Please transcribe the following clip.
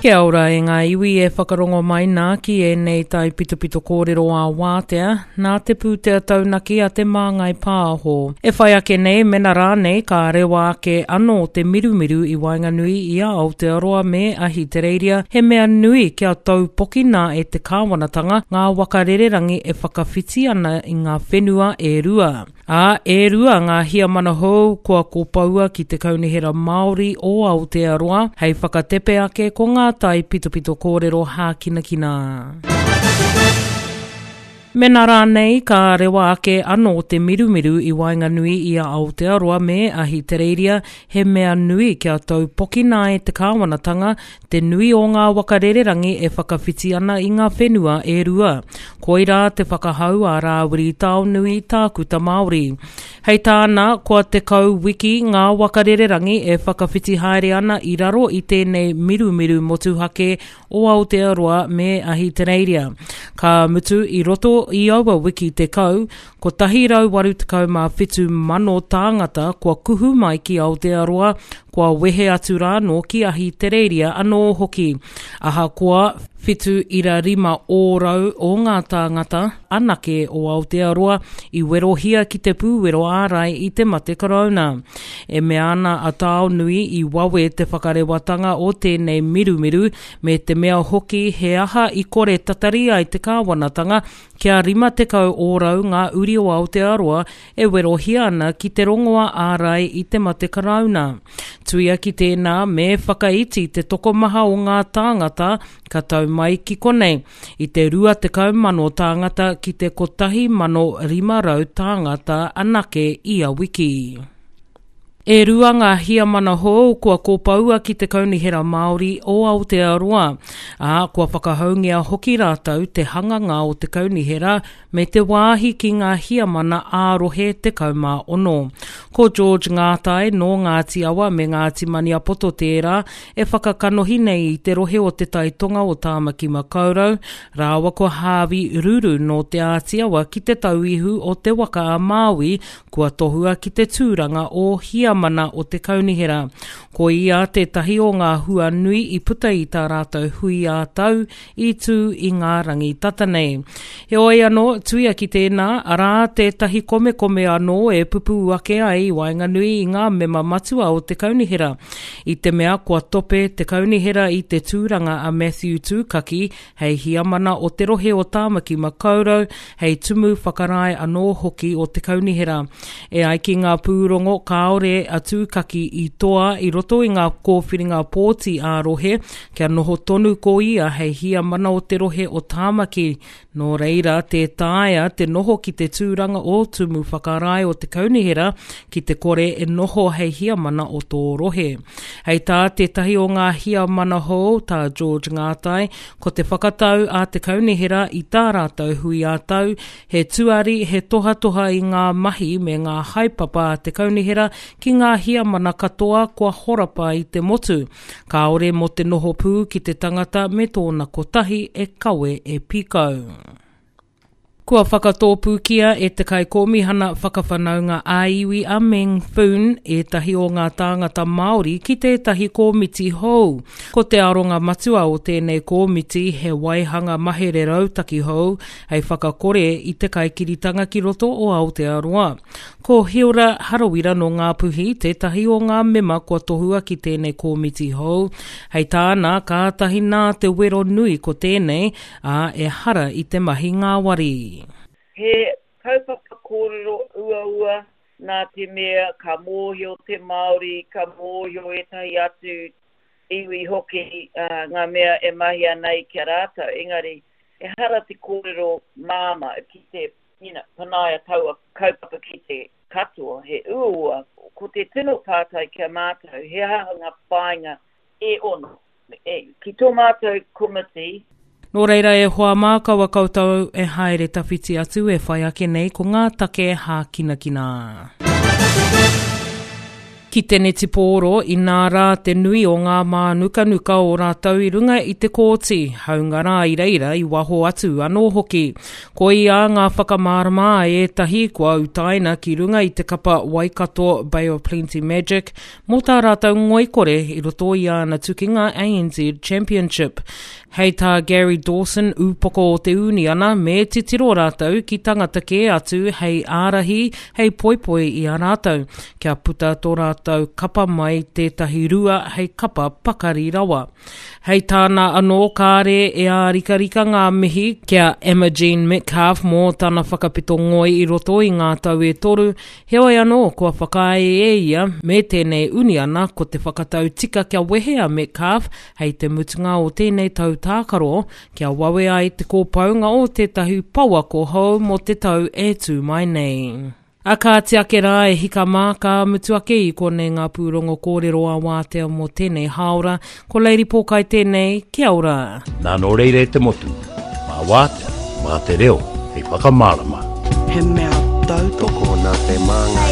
Kia ora e ngā iwi e whakarongo mai nā ki ēnei taipitopito kōrero ā-wātea, nā te pūtea taunaki a Te Māngai Pāho. E whai ake nei, mena rānei ka rewa ake anō te mirumiru i waenganui i a Aotearoa me Ahitereiria, he mea nui kia taupokina e te kāwanatanga ngā waka rererangi e whakawhiti ana i ngā whenua e rua. Ā, e rua ngā hiamana hou kua kopoua ki Te Kaunihera Māori o Aotearoa hei whakatepe ake ko ngā taipitopito kōrero hākinakina. Mena rānei ka rewa ake anō te mirumiru i waenganui i a Aotearoa me Ahitereiria, he mea nui kia taupokina e te kāwanatanga te nui o ngā waka rererangi e whakawhiti ana i ngā whenua e rua. Koirā te whakahau a Rāwiri Taonui, tākuta Māori. Hei tāna, kua 10 wiki ngā waka rererangi e whakawhiti haere ana i raro i tēnei mirumiru motuhake o Aotearoa me Ahitereiria. Ka mutu i roto i aua wiki 10, 187,000 tāngata kua kuhu mai ki Aotearoa, kua wehe atu rānō ki Ahitereiria anō hoki. Ahakoa, 7.5 ōrau o ngā tāngata anake o Aotearoa i werohia ki te pūwero ārai i te mate karauna. E mea ana a Taonui i wawe te whakarewatanga o tēnei mirumiru me te mea hoki he aha i kore tatari ai te kāwanatanga Kia 50 ōrau ngā uri o Aotearoa e werohia ana ki te rongoa ārai i te mate karauna. Tuia ki tēnā, me whakaiti te tokomaha o ngā tāngata ka tau mai ki konei, i te 20,000 tāngata ki te 1,500 tāngata anake ia wiki. E rua ngā hiamana hou kua kopoua ki te Kaunihera Māori o Aotearoa, ā, kua whakahoungia hoki rātou te hanganga o te kaunihera me te wāhi ki ngā hiamana ā-rohe 16. Ko George Ngātai nō Ngāti Awa me Ngāti Maniapoto tērā e whakakanohi nei i te rohe o Te Tai Tonga o Tāmaki Makaurau, rāua ko Harvey Ruru nō Te Āti Awa ki Te Tauihu o Te Waka a Māui Kua tohua ki te tūranga o Hiamana o te Kaunihera. Ko ia tētahi o ngā hua nui i puta i tā rātou hui ā-tau i tū i ngā rangi tata nei. Heoi anō, tuia ki tēnā, arā tētahi komekome anō e pupū ake ai i waenganui i ngā mema matua o te Kaunihera. I te mea kua tope te Kaunihera i te tūranga a Matthew Tūkaki hei hiamana o te rohe o Tāmaki Makaurau, hei tumu whakarae anō hoki o te kaunihera. E ai ki ngā pūrongo, kāore a Tūkaki i toa i roto i ngā kōwhiringa pōti ā-rohe, kia noho tonu ko ia hei hiamana o te rohe o Tāmaki, nō reira, tē taea te noho ki te tūranga o tumu whakarae o te kaunihera ki te kore e noho hei hiamana o tō rohe. Hei tā tētahi o ngā hiamana hou, tā George Ngātai, ko te whakatau a te kaunihera i tā rātou hui ā-tau, he tuari, he tohatoha i ngā mahi me ngā haepapa a te kaunihera ki ngā hiamana katoa kua horapa i te motu. Kāore mō te noho pū ki te tangata me tōna kotahi e kawe e pīkau. Kua whakatōpūkia e te Kaikōmihana Whakawhanaunga ā-Iwi a Meng Foon ētahi o ngā tāngata Māori ki tētahi kōmiti hou. Ko te aronga matua o tēnei kōmiti he waihanga mahere rautaki hou hei whakakore i te kaikiritanga ki roto o Aotearoa. Ko Hilda Harawira nō Ngāpuhi tētahi o ngā mema kua tohua ki tēnei kōmiti hou. Hei tāna, kātahi nā te wero nui ko tēnei, ā, ehara i te mahi ngāwari. He kaupapa kōrero uaua nā te mea ka mōhio te Māori, ka mōhio ētahi atu iwi hoki ngā mea e mahia nei ki a rātou, engari ehara te kōrero māmā ki te you know, panaia taua kaupapa ki te katoa, he uaua. Ko te tino pātai ki a mātou, he aha ngā whāinga e ono? Ki tō mātou komiti. Nō reira e hoa mā kaua koutou e haere tawhiti atu e whai ake nei ko ngā take hākinakina. Ki te netipōro, inā rā te nui o ngā mānukanuka o rātou i runga i te kōti, hāunga rā i reira i waho atu anō hoki. Koia ngā whakamārama a ētahi kua utaina ki runga i te kapa Waikato Bay of Plenty Magic mō tā rātou ngoikore i roto i āna tukinga ANZ Championship. Hei tā Gary Dawson, ūpoko o te uniana, me titiro rātou ki tangata kē atu hei ārahi, hei poipoi i a rātou, kia puta tō rātou kapa mai tētahi rua hei kapa pakari rawa. Hei tāna anō kāre e ārikarika ngā mihi ki a Emma Jean Metcalfe mō tana whakapito ngoi i roto i ngā tau e toru, heoi anō kua whakaae e ia me tēnei uniana ko te whakatau tika kia wehe a Metcalfe Hei te mutunga o tēnei tau tākaro, kia wawe ai te kōpaunga o tētahi pouako hou mō te tau e tū mai nei. A kāti ake rā e hika mā, ka mutu ake i konei ngā pūrongo kōrero a Wātea mō tēnei hāora. Ko Lady Pōkai tēnei, kia ora. Nā nō reira e te motu, mā Wātea, mā te reo hei whakamārama. He mea tautoko. Tokona te māngai.